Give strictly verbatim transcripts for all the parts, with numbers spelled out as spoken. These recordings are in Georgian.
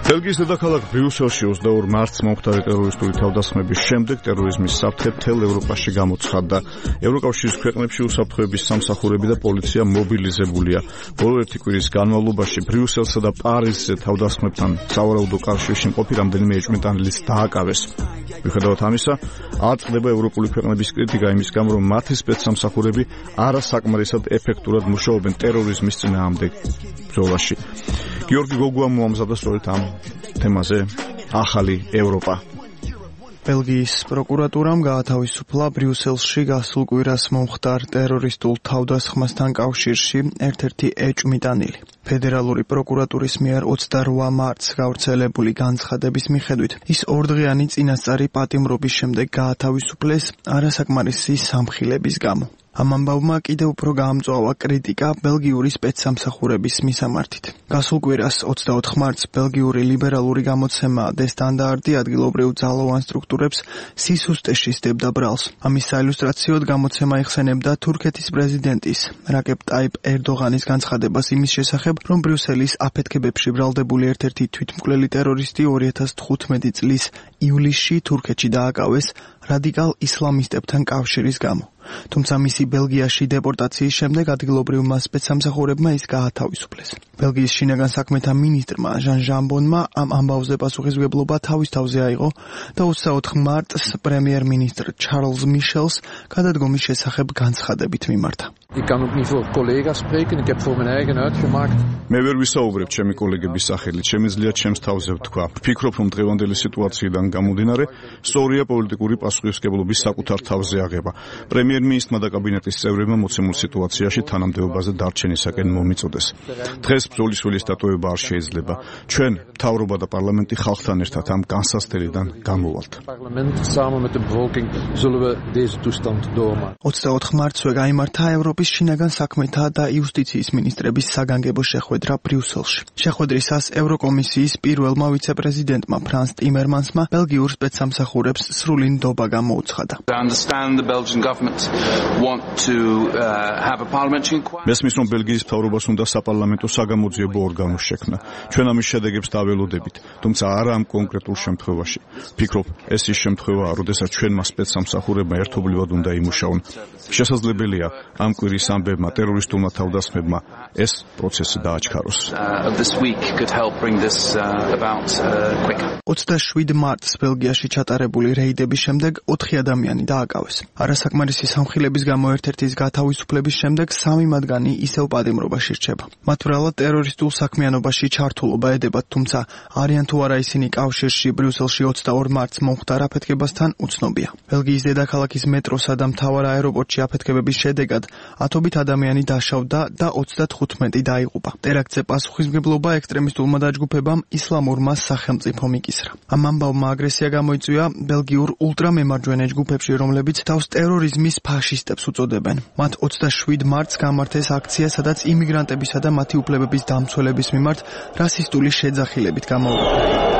ბელგიის დედაქალაქ ბრიუსელში ოცდაორ მარტს მომხდარი ტერორისტული თავდასხმების შემდეგ ტერორიზმის საფრთხე მთელ ევროპაში გამოცხადდა. ევროკავშირის ქვეყნებში უსაფრთხოების სამსახურები და პოლიცია მობილიზებულია. ბოლო ერთი კვირის განმავლობაში ბრიუსელსა და პარიზზე თავდასხმებთან სავარაუდო კავშირში მყოფი რამდენიმე ეჭვმიტანილიც დააკავეს. მიუხედავად ამისა, არ წყდება ევროპული ქვეყნების კრიტიკა იმის გამო, რომ მათი სპეცსამსახურები არასაკმარისად ეფექტურად მუშაობენ ტერორიზმის წინააღმდეგ ბრძოლაში. გიორგი გოგუა მოამზადა სწორედ ამ თემაზე ახალი ევროპა. ბელგიის პროკურატურამ გაათავისუფლა ბრიუსელში გასულ კვირას მომხდარ ტერორისტულ თავდასხმასთან კავშირში ერთ-ერთი ეჭვმიტანილი. ფედერალური პროკურატურის მიერ ოცდაორ მარტს გავრცელებული განცხადების მიხედვით, ის ორდღიანი წინასწარი პატიმრობის შემდეგ გაათავისუფლეს არასაკმარისი სამხილების გამო. ამ ამბავმა კიდევ უფრო გაამწვავა კრიტიკა ბელგიური სპეცსამსახურების მისამართით. გასულ კვირას ოცდაოთხ მარტს ბელგიური ლიბერალური გამოცემა Der Standard ადგილობრივ ძალოვან სტრუქტურებს სისუსტეში სდებდა ბრალს. ამის საილუსტრაციოდ გამოცემა იხსენებდა თურქეთის პრეზიდენტის რაკებ ტაიპ ერდოღანის განცხადებას იმის შესახებ, რომ ბრიუსელის აფეთქებებში ბრალდებული ერთ-ერთი თვითმკვლელი ტერორისტი ორი ათას თხუთმეტი წლის ივლისში თურქეთში დააკავეს რადიკალ ისლამისტებთან კავშირის გამო. თუმცა მისი ბელგიაში დეპორტაციის შემდეგ ადგილობრივმა სპეცსამსახურებმა ის გაათავისუფლეს. ბელგიის შინაგან საქმეთა მინისტრმა ჟან ჟამბონმა ამ ამბავზე პასუხისმგებლობა თავის თავზე აიღო და ოცდაოთხ მარტს პრემიერ-მინისტრ ჩარლზ მიშელს გადადგომის შესახებ განცხადებით მიმართა. Ik kan ook niet voor collega's spreken, ik heb voor mijn eigen uitgemaakt. მე ვერ ვისაუბრებ ჩემი კოლეგების სახელით, შემიძლია ჩემს თავზე ვთქვა. ვფიქრობ, რომ დღევანდელი სიტუაციიდან გამომდინარე, სწორია პოლიტიკური პასუხისმგებლობის საკუთარ თავზე აღება. პრემიერ-მინისტრმა და კაბინეტის წევრებმა მოცემულ სიტუაციაში თანამდებობაზე დარჩენისაკენ მომიწოდეს. დღეს ბრძოლის ველის დატოვება არ შეიძლება. ჩვენ, მთავრობა და პარლამენტი ხალხთან ერთად ამ განსასწრებიდან გამოვალთ. ოცდაოთხ მარტსვე გაიმართა ევროპის შინაგან საქმეთა და იუსტიციის მინისტრების საგანგებო შეხვედრა ბრიუსელში. შეხვედრისას ევროკომისიის პირველმა ვიცე-პრეზიდენტმა ფრანს ტიმერმანსმა ბელგიურ სპეცსამსახურებს სრული ნდობა გამოუცხადა. მესმის, რომ ბელგიის მთავრობას უნდა საპარლამენტო საგამოძიებო ორგანო შექმნა. ჩვენ ამის შედეგებს დაველოდებით, თუმცა არა ამ კონკრეტულ შემთხვევაში. ვფიქრობ, ეს ის შემთხვევაა, როდესაც ჩვენმა სპეცსამსახურებმა ერთობლივად უნდა იმუშაონ. შესაძლებელია ამ კვირის ამბებმა ტერორისტულმა თავდასხმებმა ეს პროცესი დააჩქაროს. ოცდაშვიდ მარტს ბელგიაში ჩატარებული რეიდების შემდეგ ოთხი ადამიანი დააკავეს. არასაკმარისი სამხილების გამო ერთ-ერთის გათავისუფლების შემდეგ სამი მათგანი ისევ პატიმრობაში რჩება. მათ ბრალად ტერორისტულ საქმიანობაში ჩართულობა ედებათ, თუმცა არიან თუ არა ისინი კავშირში ბრიუსელში ოცდაორ მარტს მომხდარ აფეთქებასთან უცნობია. ბელგიის დედაქალაქის მეტროსა და მთავარ აეროპორტში აფეთქებების შედეგად ათობით ადამიანი დაშავდა და ოცდათხუთმეტი დაიღუპა. ტერაქტზე პასუხისმგებლობა ექსტრემისტულმა დაჯგუფებამ ისლამურმა სახელმწიფომ იკისრა. ამ ამბავმა აგრესია გამოიწვია ბელგიურ ულტრამემარჯვენე ჯგუფებში, რომლებიც თავს ტერორიზმის ფაშისტებს უწოდებენ. მათ ოცდაშვიდ მარტს გამართეს აქცია, სადაც იმიგრანტებისა და მათი უფლებების დამცველების მიმართ რასისტული შეძახილებით გამოუვლიდნენ.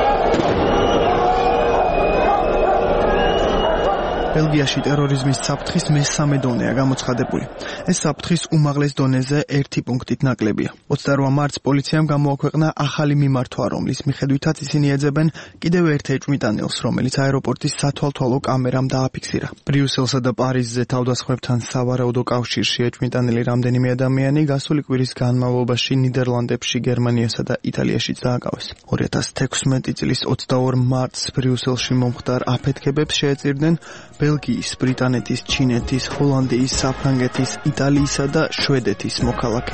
ბელგიაში ტერორიზმის საფრთხის მესამე დონეა გამოცხადებული. ეს საფრთხის უმაღლეს დონეზე ერთი პუნქტით ნაკლებია. ოცდაორ მარტს პოლიციამ გამოაქვეყნა ახალი მიმართვა, რომლის მიხედვითაც ისინი ეძებენ კიდევ ერთ ეჭვმიტანილს, რომელიც აეროპორტის სათვალთვალო კამერამ დააფიქსირა. ბრიუსელსა და პარიზზე თავდასხმებთან სავარაუდო კავშირში ეჭვმიტანილი რამდენიმე ადამიანი გასული კვირის განმავლობაში ნიდერლანდებში, გერმანიასა და იტალიაშიც დააკავეს. ორი ათას თექვსმეტი წლის ოცდაორ მარტს ბრიუსელში მომხდარ აფეთქებებს შეეწირდნენ ბელგიის, ბრიტანეთის, ჩინეთის, ჰოლანდიის, საფრანგეთის, იტალიისა და შვედეთის მოქალაქეები.